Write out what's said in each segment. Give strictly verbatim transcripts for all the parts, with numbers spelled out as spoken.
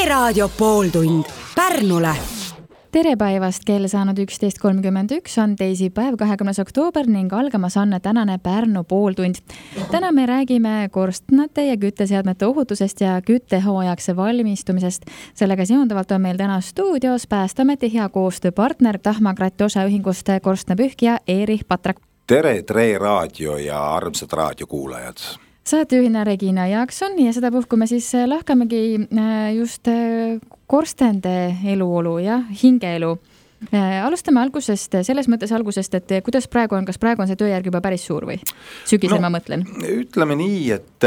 Raadio pooltund Pärnule. Tere päevast, kell saanud üksteist kolmkümmend üks on teisipäev, kahekümnes oktoober ning algamas on tänane Pärnu pooltund. Täna me räägime korstnate ja kütteseadmete ohutusest ja küttehooajaks valmistumisest. Sellega seonduvalt on meil täna stuudios Päästeameti hea koostööpartner Tahma Krati osaühingust korstnapühkija Erich Patrak. Tere, Tre Raadio ja armsad raadiokuulajad! Saatejuhina Regina Jaakson ja seda puhku me siis lahkamegi just korstende eluolu ja hingeelu. Alustame algusest, selles mõttes algusest, et kuidas praegu on, kas praegu on see tööjärg juba päris suur või? Sügisel no, ma mõtlen. Ütleme nii, et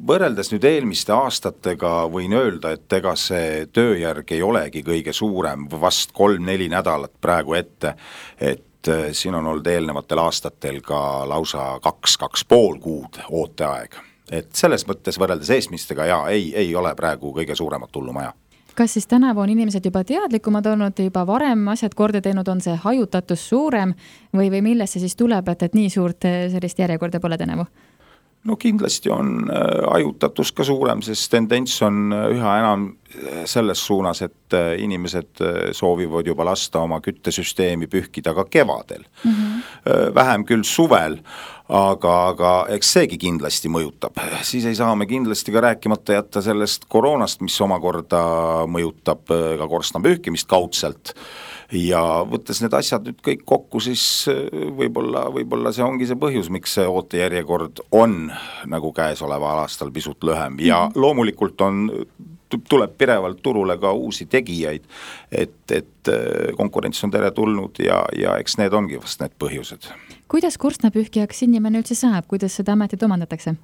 võrreldes nüüd eelmiste aastatega võin öelda, et ega see tööjärg ei olegi kõige suurem, vast kolm-neli nädalat praegu ette, et siin on olnud eelnevatel aastatel ka lausa kaks, kaks pool kuud ooteaeg. Et selles mõttes võrreldes eesmistega ja ei, ei ole praegu kõige suuremat tullumaja. Kas siis tänavu on inimesed juba teadlikumad olnud, juba varem asjad korda teinud, on see hajutatus suurem või, või millest see siis tuleb, et, et nii suurt sellist järjekorda pole tänavu? No kindlasti on hajutatus ka suurem, sest tendents on üha enam selles suunas, et inimesed soovivad juba lasta oma küttesüsteemi pühkida ka kevadel. Mm-hmm. Vähem küll suvel, aga, aga eks seegi kindlasti mõjutab. Siis ei saa me kindlasti ka rääkimata jätta sellest koroonast, mis omakorda mõjutab ka korstnapühkimist kaudselt. Ja võttes need asjad nüüd kõik kokku, siis võib-olla, võib-olla see ongi see põhjus, miks see ootejärjekord on nagu käesoleval aastal pisut lühem. Ja loomulikult on, tuleb pirevalt turule ka uusi tegijaid, et, et konkurents on tere tulnud ja, ja eks need ongi vast need põhjused. Kuidas korstnapühkijaks inimene üldse saab? Kuidas seda ametit omandatakse?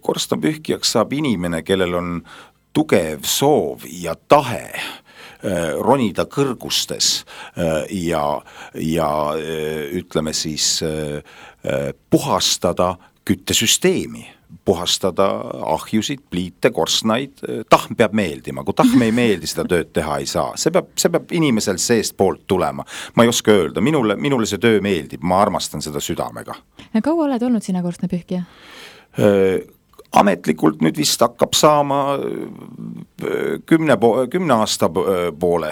Korstnapühkijaks saab inimene, kellel on tugev soov ja tahe ronida kõrgustes ja, ja ütleme siis puhastada küttesüsteemi, puhastada ahjusid, pliite, korstnaid. Tahm peab meeldima, kui tahm ei meeldi, seda tööd teha ei saa. See peab, see peab inimesel seest poolt tulema. Ma ei oska öelda, minule, minule see töö meeldib, ma armastan seda südamega. Ja kaua oled olnud sina korstnapühkija? Ametlikult nüüd vist hakkab saama kümne, po- kümne aasta poole,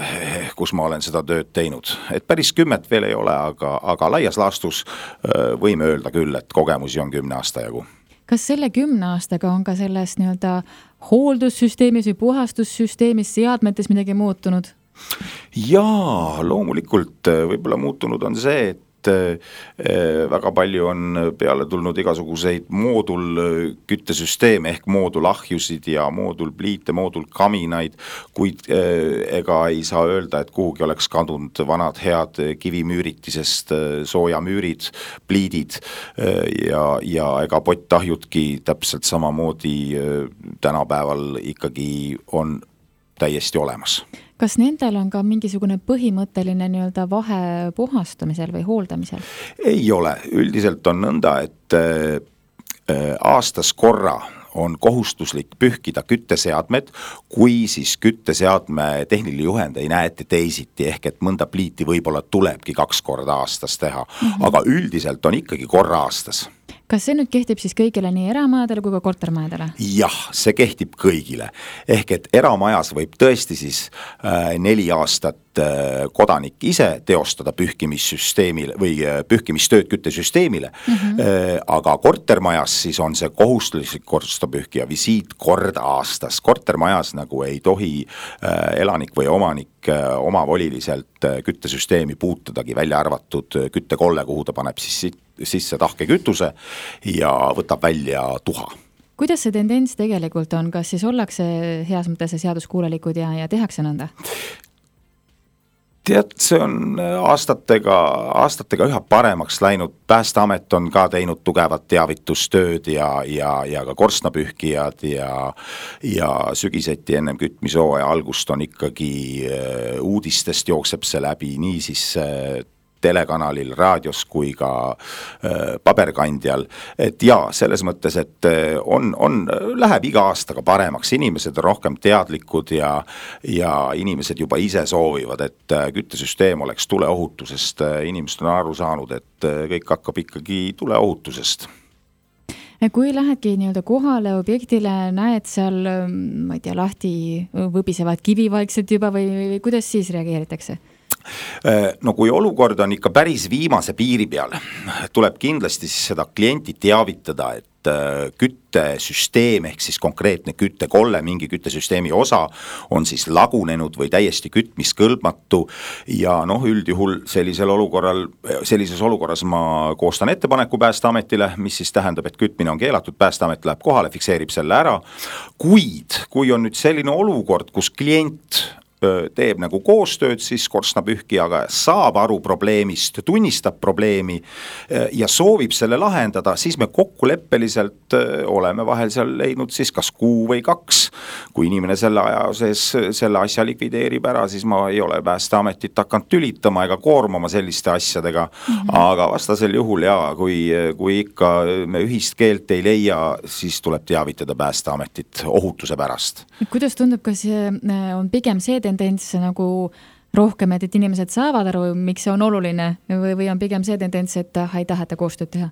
kus ma olen seda tööd teinud. Et päris kümmet veel ei ole, aga, aga laias laastus võime öelda küll, et kogemusi on kümne aasta jagu. Kas selle kümne aastaga on ka selles nii-öelda hooldussüsteemis või puhastussüsteemis seadmetes midagi muutunud? Jaa, loomulikult võib-olla muutunud on see, et väga palju on peale tulnud igasuguseid moodul küttesüsteeme ehk moodulahjusid ja moodulpliite, moodulkaminaid, kuid ega ei saa öelda, et kuhugi oleks kadunud vanad head kivimüüritisest soojamüürid, pliidid ja, ja ega pottahjudki täpselt samamoodi tänapäeval ikkagi on täiesti olemas. Kas nendel on ka mingisugune põhimõtteline nii-öelda vahe puhastamisel või hooldamisel? Ei ole. Üldiselt on nõnda, et aastas korra on kohustuslik pühkida kütteseadmed, kui siis kütteseadme tehniline juhend ei näe ette teisiti, ehk et mõnda pliiti võib-olla tulebki kaks korda aastas teha, mm-hmm. aga üldiselt on ikkagi korra aastas. Kas see nüüd kehtib siis kõigile nii eramajadele kui ka kortermajadele? Jah, see kehtib kõigile. Ehk et eramajas võib tõesti siis äh, neli aastat äh, kodanik ise teostada pühkimissüsteemile või äh, pühkimistööd küttesüsteemile, mm-hmm. äh, aga kortermajas siis on see kohustuslik korstnapühkija visiit kord aastas. Kortermajas nagu ei tohi äh, elanik või omanik äh, omavoliliselt äh, küttesüsteemi puutudagi, välja arvatud äh, küttekolle, kuhu ta paneb siis sisse tahke kütuse ja võtab välja tuha. Kuidas see tendents tegelikult on? Kas siis ollakse heas mõttes seaduskuulelikud ja, ja tehakse nõnda? Tead, see on aastatega, aastatega üha paremaks läinud. Päästeamet on ka teinud tugevat teavitustööd ja, ja, ja ka korstnapühkijad ja, ja sügiseti ennem kütmisooja algust on ikkagi uudistest jookseb see läbi, nii siis telekanalil, raadios kui ka äh, paberkandjal. Et ja, selles mõttes, et on, on, läheb iga aastaga paremaks, inimesed on rohkem teadlikud ja, ja inimesed juba ise soovivad, et küttesüsteem oleks tuleohutusest. Inimesed on aru saanud, et kõik hakkab ikkagi tuleohutusest. Kui lähedki nii-öelda kohale objektile, näed seal, ma ei tea, lahti võbisevad kivi vaikselt juba või, või kuidas siis reageeritakse? No kui olukord on ikka päris viimase piiri peal, tuleb kindlasti siis seda klienti teavitada, et küttesüsteem ehk siis konkreetne küttekolle, mingi küttesüsteemi osa on siis lagunenud või täiesti kütmiskõlbmatu ja noh, üldjuhul sellisel olukorral, sellises olukorras ma koostan ettepaneku Päästeametile, mis siis tähendab, et kütmine on keelatud, Päästeamet läheb kohale, fikseerib selle ära, kuid kui on nüüd selline olukord, kus klient teeb nagu koostööd, siis korstnapühkijaga saab aru probleemist, tunnistab probleemi ja soovib selle lahendada, siis me kokkuleppeliselt oleme vahel seal leidnud siis kas kuu või kaks. Kui inimene selle aja sees selle asja likvideerib ära, siis ma ei ole Päästeametit hakanud tülitama ega koormama selliste asjadega, mm-hmm. aga vastasel juhul jaa, kui, kui ikka me ühist keelt ei leia, siis tuleb teavitada Päästeametit ohutuse pärast. Kuidas tundub, kas on pigem see tendents nagu rohkem, et, et inimesed saavad aru, miks see on oluline või, või on pigem see tendents, et ei taheta koostööd teha?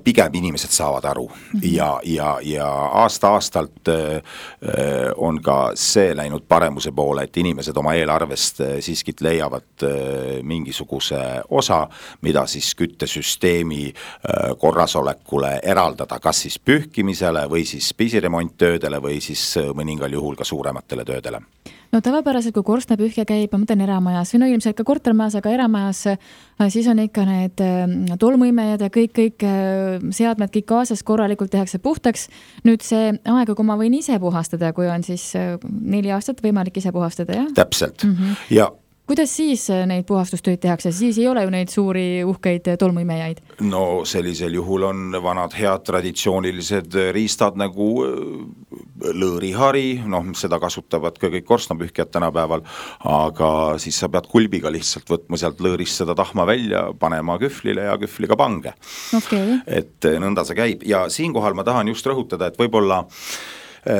Pigem inimesed saavad aru mm-hmm. ja, ja, ja aasta-aastalt on ka see läinud paremuse poole, et inimesed oma eelarvest siiski leiavad mingisuguse osa, mida siis küttesüsteemi korrasolekule eraldada, kas siis pühkimisele või siis pisiremonttöödele või siis mõningal juhul ka suurematele töödele. No tavapäraselt, kui korstnapühkja käib, ma mõtlen eramajas, või no ilmselt ka kortermajas, aga eramajas, siis on ikka need tolmuimejad ja kõik, kõik seadmed, kõik kaasas korralikult tehakse puhtaks. Nüüd see aega, kui ma võin ise puhastada, kui on siis neli aastat võimalik ise puhastada, jah? Täpselt. Mm-hmm. Ja kuidas siis neid puhastustöid tehakse? Siis ei ole ju neid suuri uhkeid tolmuimejaid. No sellisel juhul on vanad head traditsioonilised riistad nagu lõõrihari, noh seda kasutavad ka kõik korstnapühkjad tänapäeval, aga siis sa pead kulbiga lihtsalt võtma sealt lõõrist seda tahma välja, panema kühvlile ja kühvliga pange. Okay. Et nõnda see käib ja siinkohal ma tahan just rõhutada, et võib-olla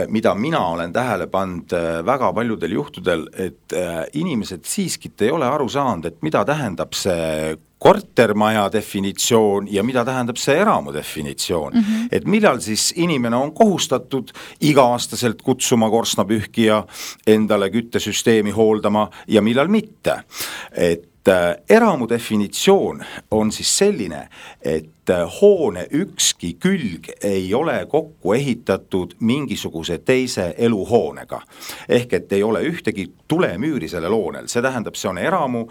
mida mina olen tähele pannud väga paljudel juhtudel, et inimesed siiskit ei ole aru saanud, et mida tähendab see kortermaja definitsioon ja mida tähendab see eramu definitsioon. Mm-hmm. Et millal siis inimene on kohustatud iga-aastaselt kutsuma korstnapühkija endale küttesüsteemi hooldama ja millal mitte. Et eramu definitsioon on siis selline, et hoone ükski külg ei ole kokku ehitatud mingisuguse teise eluhoonega. Ehk et ei ole ühtegi tulemüüri sellel hoonel. See tähendab, see on eramu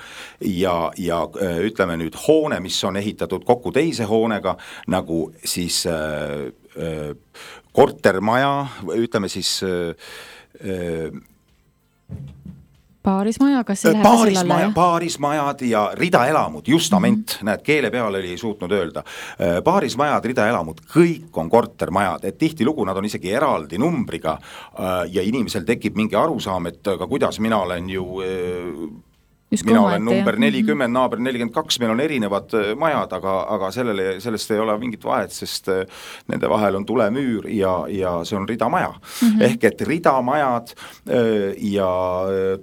ja, ja ütleme nüüd hoone, mis on ehitatud kokku teise hoonega, nagu siis äh, äh, kortermaja, ütleme siis äh, Paarismaja, kas see läheb paarismaja, paarismajad ja ridaelamud, justament, mm-hmm. näed, keele peal oli suutnud öelda. Paarismajad, ridaelamud, kõik on kortermajad, et tihti lugu nad on isegi eraldi numbriga ja inimesel tekib mingi arusaam, et aga kuidas mina olen ju... Just mina olen number nelikümmend, mm-hmm. naaber nelikümmend kaks, meil on erinevad majad, aga, aga sellele, sellest ei ole mingit vahet, sest nende vahel on tulemüür ja, ja see on ridamaja. Mm-hmm. Ehk et ridamajad ja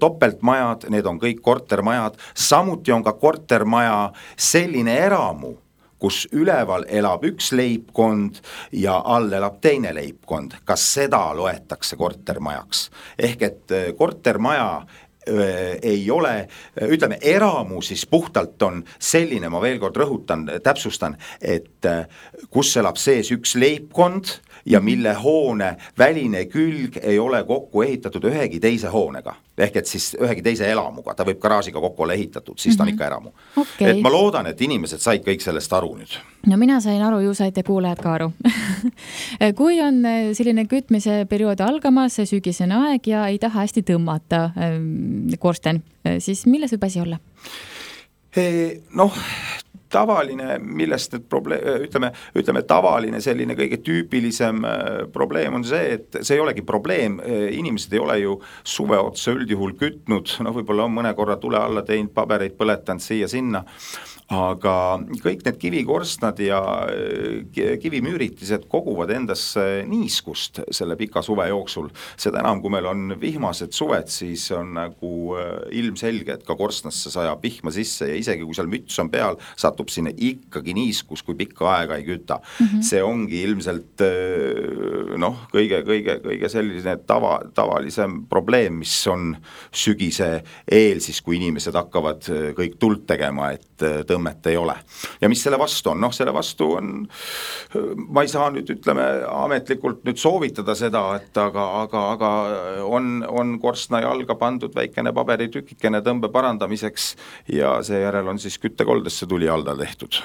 topeltmajad, need on kõik kortermajad, samuti on ka kortermaja selline eramu, kus üleval elab üks leibkond ja all elab teine leibkond. Kas seda loetakse kortermajaks? Ehk et kortermaja ei ole, ütleme, eramu siis puhtalt on selline, ma veel kord rõhutan, täpsustan, et kus elab sees üks leibkond ja mille hoone väline külg ei ole kokku ehitatud ühegi teise hoonega. Ehk et siis ühegi teise elamuga, ta võib garaažiga kokku olla ehitatud, siis ta on ikka eramu. Okay. Et ma loodan, et inimesed said kõik sellest aru nüüd. No mina sain aru, ju saite kuulajad ka aru. Kui on selline kütmise periood algamas, sügisene aeg ja ei taha hästi tõmmata korsten, siis milles võib asi olla? Noh, tavaline, millest need probleem, ütleme, ütleme tavaline selline kõige tüüpilisem probleem on see, et see ei olegi probleem, inimesed ei ole ju suve otsa üldjuhul kütnud, no võib-olla on mõne korra tule alla teinud, pabereid põletanud siia sinna, aga kõik need kivikorstnad ja kivimüüritised koguvad endasse niiskust selle pika suve jooksul. Seda enam, kui meil on vihmased suved, siis on nagu ilmselge, et ka korstnasse sajab vihma sisse ja isegi kui seal müts on peal, satub sinna ikkagi niiskus, kui pikka aega ei küta. Mm-hmm. See ongi ilmselt noh, kõige, kõige, kõige selline tava, tavalisem probleem, mis on sügise eel siis, kui inimesed hakkavad kõik tuld tegema, et tõmmet ei ole. Ja mis selle vastu on? Noh, selle vastu on, ma ei saa nüüd, ütleme, ametlikult nüüd soovitada seda, et aga, aga, aga on, on korstna jalga pandud väikene paberitükikene tõmbe parandamiseks ja seejärel on siis küttekoldesse tuli alda tehtud.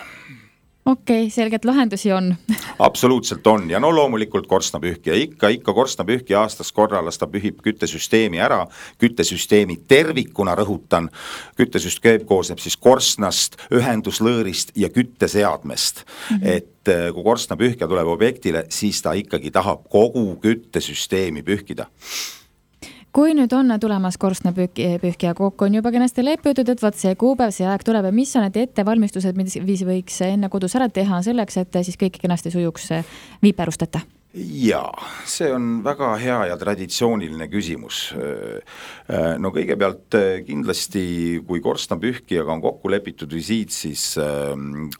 Okei, okay, selgelt lahendusi on. Absoluutselt on ja no loomulikult korstnapühkija, ikka, ikka korstnapühkija aastas korralas ta pühib küttesüsteemi ära, küttesüsteemi tervikuna rõhutan, küttesüsteem koosneb siis korstnast, ühenduslõõrist ja kütteseadmest, mm-hmm. et kui korstnapühkija tuleb objektile, siis ta ikkagi tahab kogu küttesüsteemi pühkida. Kui nüüd on tulemas korstnapühkija kokku, on juba kenasti leppitud, et võt see kuupäev, see aeg tuleb ja mis on need ettevalmistused, mis võiks enne kodus ära teha selleks, et siis kõik kenasti sujuks viiperusteta? Jaa, see on väga hea ja traditsiooniline küsimus. No kõigepealt kindlasti, kui korstnapühkijaga on kokku lepitud visiit, siis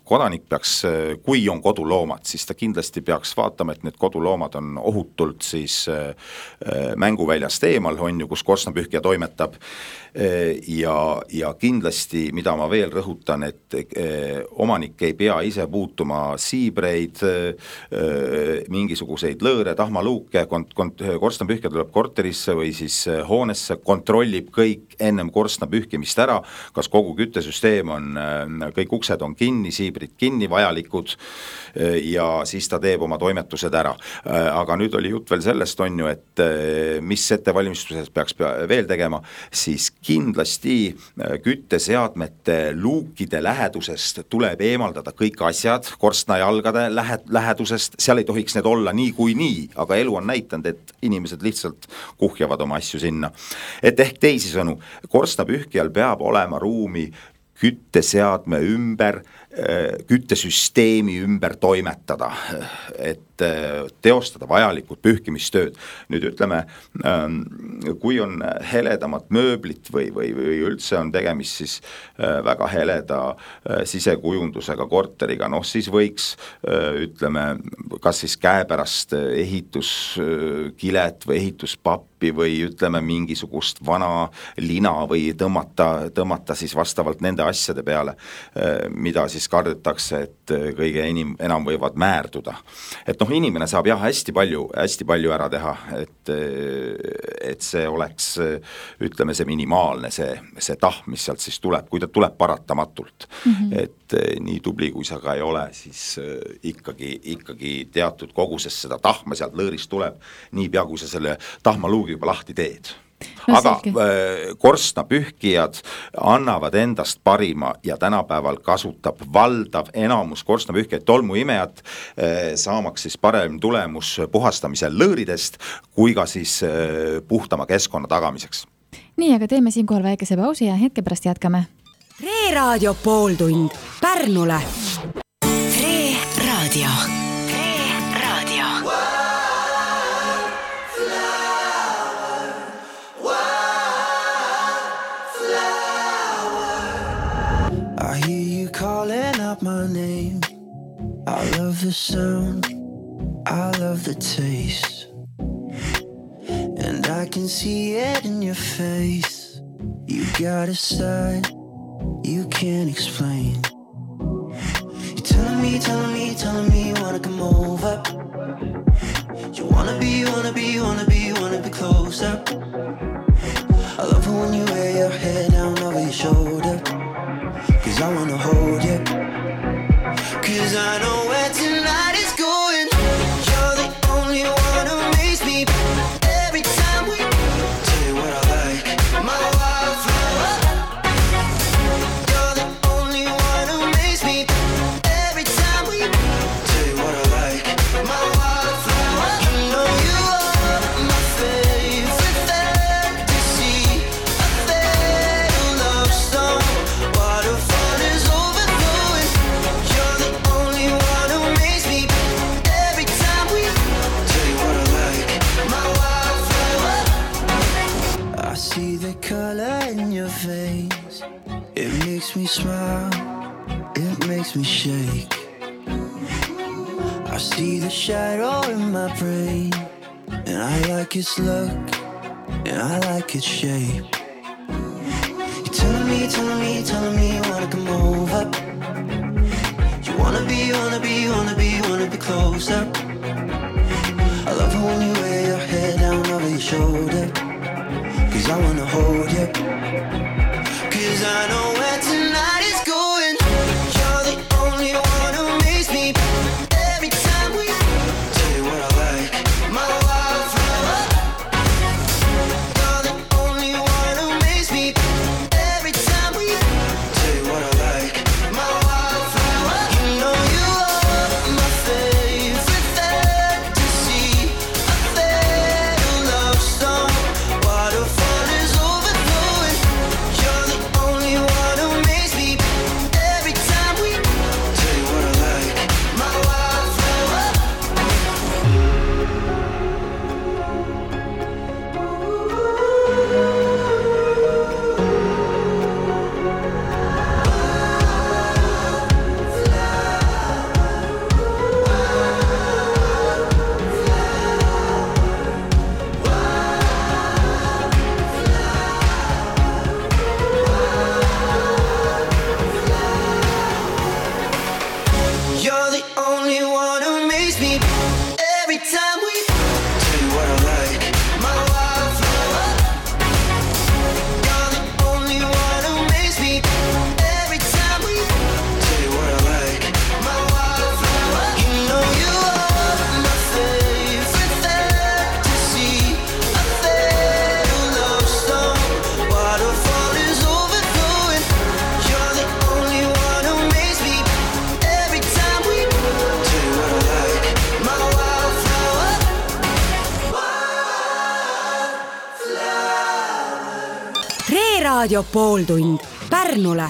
kodanik peaks, kui on koduloomad, siis ta kindlasti peaks vaatama, et need koduloomad on ohutult siis mänguväljast eemal, on ju, kus korstnapühkija toimetab. Ja, ja kindlasti, mida ma veel rõhutan, et omanik ei pea ise puutuma siibreid, mingisuguseid lõõre, tahmaluuke, kont- kont- korstnapühkija tuleb korterisse või siis hoonesse, kontrollib kõik ennem korstnapühkimist ära, kas kogu küttesüsteem on, kõik uksed on kinni, siibrid kinni, vajalikud ja siis ta teeb oma toimetused ära. Aga nüüd oli jutt veel sellest, on ju, et mis ettevalmistuses peaks veel tegema, siis kindlasti kütteseadmete luukide lähedusest tuleb eemaldada kõik asjad korstnajalgade lähedusest, seal ei tohiks need olla nii kui nii, aga elu on näitanud, et inimesed lihtsalt kuhjavad oma asju sinna. Et ehk teisisõnu, korstnapühkijal peab olema ruumi kütteseadme ümber, küttesüsteemi ümber toimetada, et teostada vajalikud pühkimistööd. Nüüd ütleme, kui on heledamad mööblit või, või, või üldse on tegemist siis väga heleda sisekujundusega korteriga, noh siis võiks, ütleme, kas siis käepärast ehituskilet või ehituspappi või ütleme mingisugust vana lina või tõmmata, tõmmata siis vastavalt nende asjade peale, mida siis kardetakse, et kõige enim, enam võivad määrduda. Et noh, inimene saab jah hästi palju, hästi palju ära teha, et, et see oleks, ütleme, see minimaalne, see, see tahm, mis sealt siis tuleb, kui ta tuleb paratamatult. Mm-hmm. Et nii tubli, kui sa ka ei ole, siis ikkagi, ikkagi teatud koguses seda tahma sealt lõõrist tuleb, nii pea, kui sa selle tahmaluugi juba lahti teed. No, aga selge. Korstnapühkijad annavad endast parima ja tänapäeval kasutab valdav enamus korstnapühkijad tolmuimejat, saamaks siis parem tulemus puhastamisel lõõridest kui ka siis puhtama keskkonna tagamiseks. Nii, aga teeme siinkohal väikese pausi ja hetke pärast jätkame. Re-raadio pooltund Pärnule. Re-raadio. Re-raadio. I hear you calling out my name. I love the sound, I love the taste, and I can see it in your face. You got a side you can't explain. You're telling me, telling me, telling me you wanna come over. You wanna be, wanna be, wanna be, wanna be closer. I love it when you wear your head down over your shoulder, 'cause I wanna hold you, 'cause I know where tonight is going. You're the only one who makes me every time we tell you what I like, my wildflower. You're the only one who makes me every time we tell you what I like, my wildflower. You know you are my favorite fantasy, a fatal love song. What a fun is over. I see the color in your face. It makes me smile, it makes me shake. I see the shadow in my brain, and I like its look, and I like its shape. You're telling me, telling me, telling me you wanna come over. You wanna be, wanna be, wanna be, wanna be closer. I love it when you wear your head down over your shoulder, cause I wanna hold you, cause I know where tonight is going. You're the only one who makes me every time we tell you what I like, my wildflower. You're the only one who makes me every time we tell you what I like, my wildflower. You know you are my favorite fantasy, a fairy love song. Waterfall is overflowing. You're the only one who makes me every time we tell you what I like, my wildflower. You're the only one who makes me every time we tell you what I like, my wildflower. You're the only one who makes me every time we tell you what I like, my wildflower. You know you are my favorite fantasy, a fairy love song. Waterfall is overflowing. You're the only one who makes me every time we tell you what I like, my wildflower. Reeraadio pooltund Pärnule.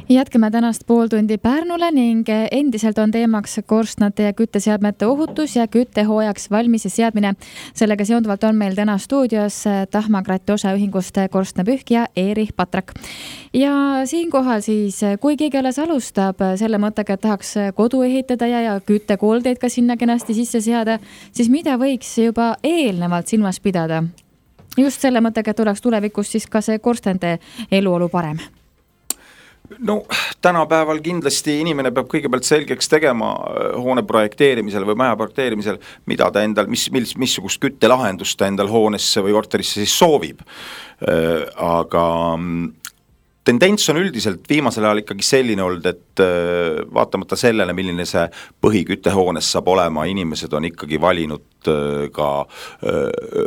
Jätkame tänast pooltundi Pärnule ning endiselt on teemaks korstnate ja kütteseadmete ohutus ja küttehooajaks valmis seadmine. Sellega seonduvalt on meil täna stuudios Tahma Krati osaühingust korstnapühkija Erich Patrak. Ja siinkohal siis, kui keegi alles alustab selle mõttega, et tahaks kodu ehitada ja, ja küttekoldeid ka sinna kenasti sisse seada, siis mida võiks juba eelnevalt silmas pidada? Just selle mõttega, et oleks tulevikus siis ka see korstende eluolu parem. No tänapäeval kindlasti inimene peab kõigepealt selgeks tegema hoone projekteerimisel või maja projekteerimisel, mida ta endal, mis, mis, missugust küttelahendust ta endal hoonesse või korterisse siis soovib. Aga tendents on üldiselt viimasel ajal ikkagi selline olnud, et vaatamata sellele, milline see põhiküttehoones saab olema, inimesed on ikkagi valinud ka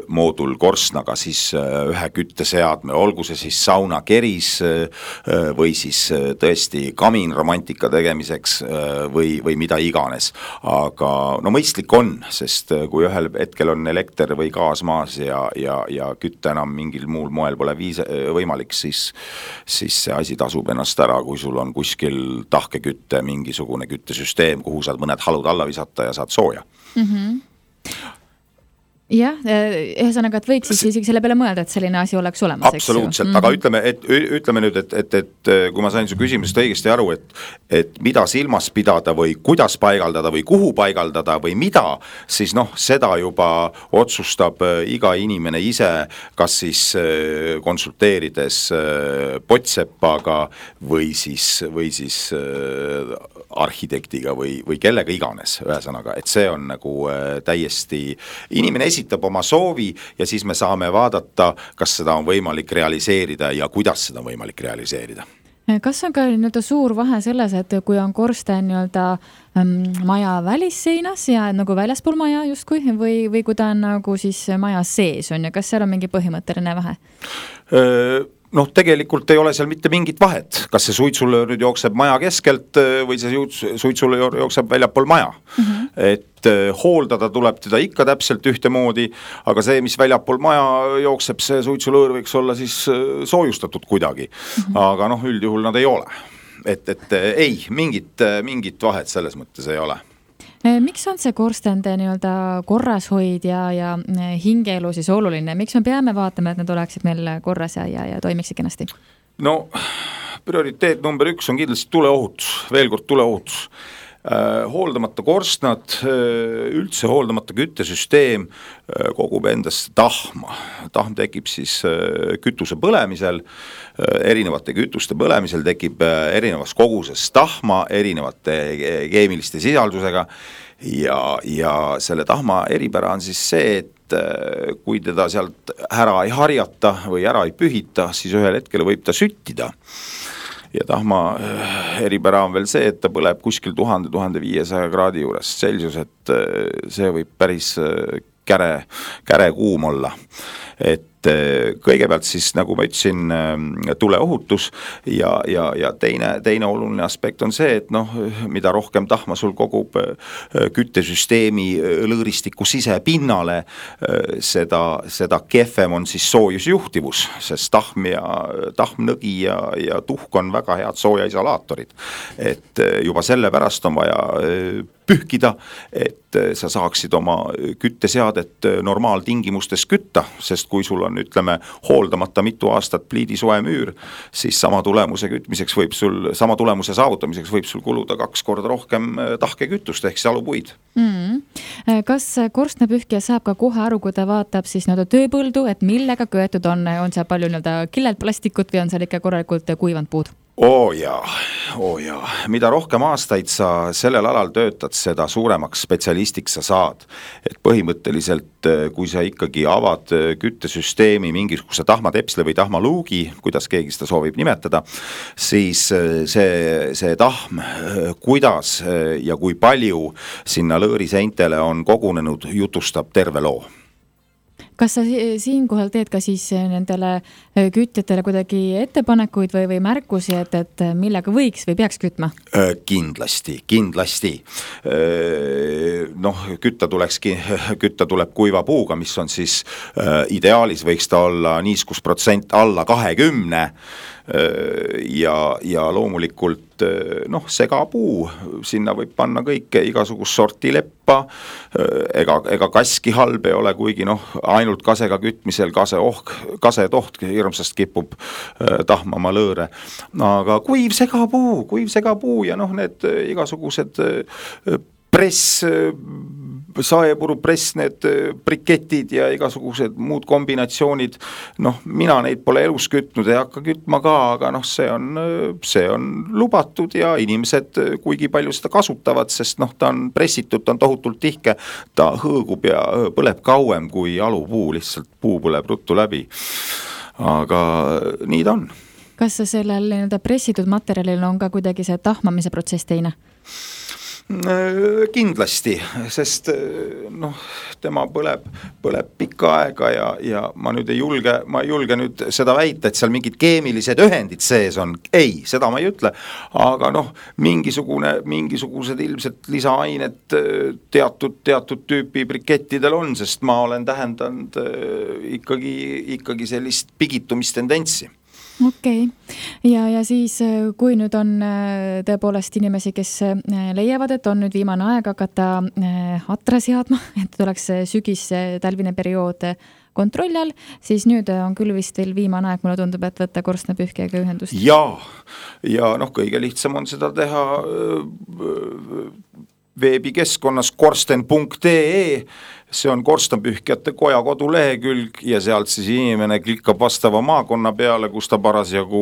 moodul korstnaga siis ühe kütteseadme, olgu see siis sauna keris või siis tõesti kamin romantika tegemiseks või, või mida iganes. Aga no mõistlik on, sest kui ühel hetkel on elekter või gaas maas ja, ja, ja kütte enam mingil muul moel pole viis, võimalik, siis, siis see asi tasub ennast ära, kui sul on kuskil tahkekütte mingisugune küttesüsteem, kuhu saad mõned halud alla visata ja saad sooja. Mm-hmm. Jah, ühesõnaga, et võiks siis isegi selle peale mõelda, et selline asi oleks olemas. Absoluutselt, mm-hmm. aga ütleme, et, ütleme nüüd, et, et, et kui ma sain su küsimusest õigesti aru, et, et mida silmas pidada või kuidas paigaldada või kuhu paigaldada või mida, siis noh, seda juba otsustab iga inimene ise, kas siis konsulteerides potsepaga või siis, või siis arhitektiga või, või kellega iganes, ühesõnaga, et see on nagu täiesti inimene esitab oma soovi ja siis me saame vaadata, kas seda on võimalik realiseerida ja kuidas seda on võimalik realiseerida. Kas on ka nii-öelda suur vahe selles, et kui on korsten nii-öelda maja välisseinas ja nagu väljaspool maja justkui või, või kui ta on nagu siis maja sees on ja kas seal on mingi põhimõtteline vahe? Noh, tegelikult ei ole seal mitte mingit vahet, kas see suitsulöör nüüd jookseb maja keskelt või see suitsulöör jookseb väljapool maja. Mm-hmm. Et hooldada tuleb teda ikka täpselt ühte moodi, aga see, mis väljapool maja jookseb, see suitsulöör võiks olla siis soojustatud kuidagi. Mm-hmm. Aga noh, üldjuhul nad ei ole. Et, et ei, mingit, mingit vahet selles mõttes ei ole. Miks on see korstende nii-öelda korrashoid ja, ja hingeelu siis oluline? Miks me peame vaatama, et need oleksid meil korras ja, ja, ja toimiksid kenasti? No, prioriteet number üks on kindlasti tuleohutus, veel kord tuleohutus. Äh, hooldamata korstnad, üldse hooldamata küttesüsteem äh, kogub endast tahma. Tahm tekib siis äh, kütuse põlemisel, äh, erinevate kütuste põlemisel tekib äh, erinevas koguses tahma, erinevate keemiliste sisaldusega ja, ja selle tahma eripära on siis see, et kui teda sealt ära ei harjata või ära ei pühita, siis ühel hetkel võib ta süttida. Ja tahma eripära on veel see, et ta põleb kuskil tuhande, tuhande viiesaja kraadi juures Celsius, et see võib päris käre, käre kuum olla. Et kõigepealt siis, nagu ma ütlesin, tuleohutus ja, ja, ja teine, teine oluline aspekt on see, et noh, mida rohkem tahma sul kogub küttesüsteemi lõõristiku sisepinnale, seda, seda kehvem on siis soojusjuhtivus, sest tahm ja tahmnõgi ja, ja tuhk on väga head soojaisolaatorid. Et juba selle pärast on vaja pühkida, et sa saaksid oma kütteseadet normaaltingimustes kütta, sest kui sul on, ütleme, hooldamata mitu aastat pliidisoe müür, siis sama tulemuse kütmiseks võib sul, sama tulemuse saavutamiseks võib sul kuluda kaks korda rohkem tahke kütust ehk salupuid. Mm. Kas korstnapühkija saab ka kohe aru, kui ta vaatab siis nõuda tööpõldu, et millega köetud on, on seal palju nõuda killelt plastikut või on seal ikka korralikult kuivanud puud? Oo jaa, oo jaa. Mida rohkem aastaid sa sellel alal töötad, seda suuremaks spetsialistiks sa saad. Et põhimõtteliselt, kui sa ikkagi avad küttesüsteemi mingisuguse tahmatepsle või tahmaluugi, kuidas keegi seda soovib nimetada, siis see, see tahm, kuidas ja kui palju sinna lõõriseintele on kogunenud, jutustab terve loo. Kas sa siinkohal teed ka siis nendele kütjatele kuidagi ettepanekuid või, või märkusi, et, et millega võiks või peaks kütma? Kindlasti, kindlasti. Noh, kütta tulekski, kütta tuleb kuiva puuga, mis on siis ideaalis võiks ta olla niiskusprotsent alla kahekümne ja, ja loomulikult noh, segapuu, sinna võib panna kõike, igasugust sorti leppa, ega, ega kaski halb ei ole, kuigi noh, ainult kasega kütmisel kase ohk, kase toht hirmsast kipub tahmama lõõre, aga kuiv segapuu, kuiv segapuu ja noh, need igasugused press, saepuru press, need briketid ja igasugused muud kombinatsioonid, noh, mina neid pole elus kütnud, ei hakka kütma ka, aga noh, see on, see on lubatud ja inimesed kuigi palju seda kasutavad, sest noh, ta on pressitud, ta on tohutult tihke, ta hõõgub ja põleb kauem kui alupuu, lihtsalt puu põleb ruttu läbi. Aga nii ta on. Kas sellel nii-öelda pressitud materjalil on ka kuidagi see tahmamise protsess teine? Kindlasti, sest noh, tema põleb, põleb pikka aega ja, ja ma nüüd ei julge, ma ei julge nüüd seda väita, et seal mingid keemilised ühendid sees on. Ei, seda ma ei ütle, aga noh, mingisugune, mingisugused ilmselt lisaained teatud, teatud tüüpi brikettidel on, sest ma olen tähendanud ikkagi, ikkagi sellist pigitumistendentsi. Okei. Okay. Ja, ja siis, kui nüüd on tõepoolest inimesi, kes leiavad, et on nüüd viimane aeg hakata atra seadma, et oleks sügis talvine periood kontrolli all, siis nüüd on küll vist veel viimane aeg, mulle tundub, et võtta korstnapühkjaga ühendust. Ja, ja noh, kõige lihtsam on seda teha veebikeskkonnas korsten punkt ee, see on korstnapühkjate koja kodulehekülg ja sealt siis inimene klikkab vastava maakonna peale, kus ta parasjagu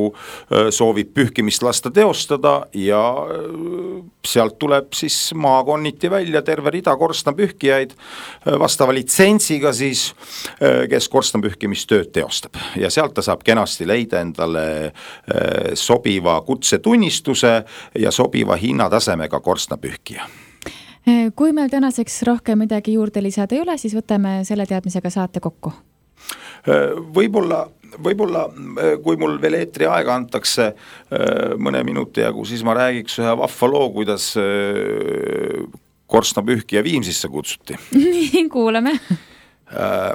soovib pühkimist lasta teostada ja sealt tuleb siis maakonniti välja terve rida korstnapühkijaid vastava litsentsiga siis, kes korstnapühkimistööd teostab. Ja sealt ta saab kenasti leida endale sobiva kutsetunnistuse ja sobiva hinnatasemega korstnapühkija. Kui meil tänaseks rohkem midagi juurde lisada ei ole, siis võtame selle teadmisega saate kokku. Võib-olla, võib-olla kui mul veel eetri aega antakse mõne minuti jagu, siis ma räägiks ühe vahva loo, kuidas korstnapühkija Viimsisse kutsuti. Nii, kuuleme.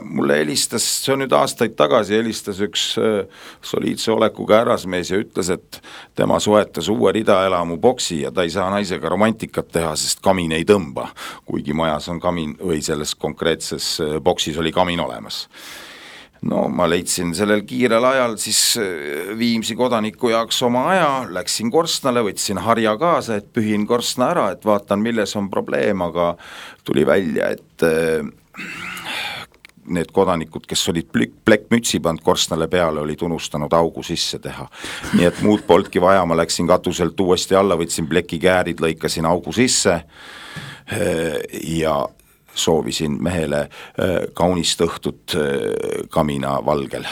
Mulle helistas, see on nüüd aastaid tagasi, helistas üks soliidse olekuga härrasmees ja ütles, et tema soetas uue ridaelamu boksi ja ta ei saa naisega romantikat teha, sest kamin ei tõmba, kuigi majas on kamin või selles konkreetses boksis oli kamin olemas. No ma leidsin sellel kiirel ajal siis Viimsi kodaniku jaoks oma aja, läksin korstnale, võtsin harja kaasa, et pühin korstna ära, et vaatan, milles on probleem, aga tuli välja, et need kodanikud, kes olid plekkmütsi pand korstnale peale, olid unustanud augu sisse teha. Nii et muud poltki vaja, ma läksin katuselt uuesti alla, võtsin plekikäärid, lõikasin augu sisse ja soovisin mehele kaunist õhtut kamina valgel.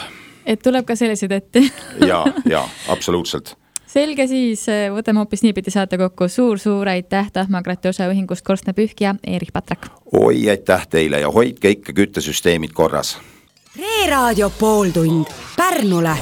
Et tuleb ka sellised ette? ja, ja, absoluutselt. Selge, siis võtame hoopis niipidi saate kokku. Suur-suur aitäh Tahmakrati osaühingust korstnapühkija Erich Patrak. Oi, aitäh teile ja hoidke ikka küttesüsteemid korras. Reeraadio pooltund Pärnule.